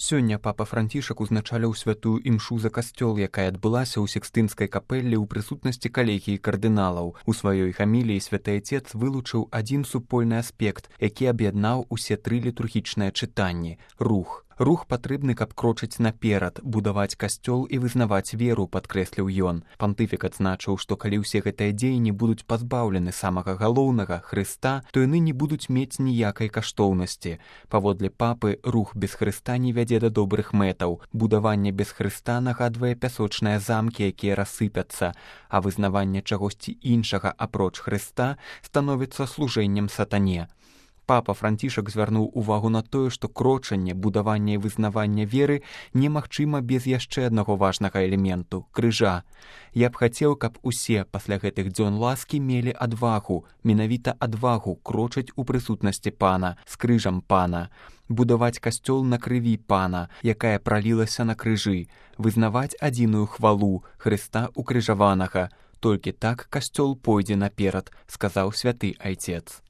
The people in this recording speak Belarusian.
Сёння папа Францішак узначаліў святую імшу за касцёл, якая адбылася ў Сікстынскай капэллі ў прысутнасці калегіі кардыналаў. У сваёй хаміліі святы айцец вылучыў адзін супольны аспект, які аб'яднаў усе тры літургічныя чытанні – рух. Рух патрэбны, каб крочыць наперад, будаваць касцёл і вызнаваць веру, падкрэсліў ён. Пантыфік адзначыў, што калі ўсе гэтыя дзеянні будуць пазбаўлены самага галоўнага Хрыста, то яны не будуць мець ніякай каштоўнасці. Паводле папы, рух без Хрыста не вядзе да добрых мэтаў. Будаванне без Хрыста нагадвае пясочныя замкі, якія рассыпяцца, а вызнаванне чагосьці іншага апроч Хрыста становіцца служэннем сатане. Папа Францішак звярнуў увагу на тое, што крочанне, будаванне і вызнаванне веры немагчыма без яшчэ аднаго важнага элементу – крыжа. Я б хацеў, каб усе пасля гэтых дзён ласкі мелі адвагу, менавіта адвагу крочыць у прысутнасці Пана, з крыжам Пана, будаваць касцёл на крыві Пана, якая пралілася на крыжы, вызнаваць адзіную хвалу Хрыста укрыжаванага. Толькі так касцёл пойдзе наперад, сказаў святы айцец.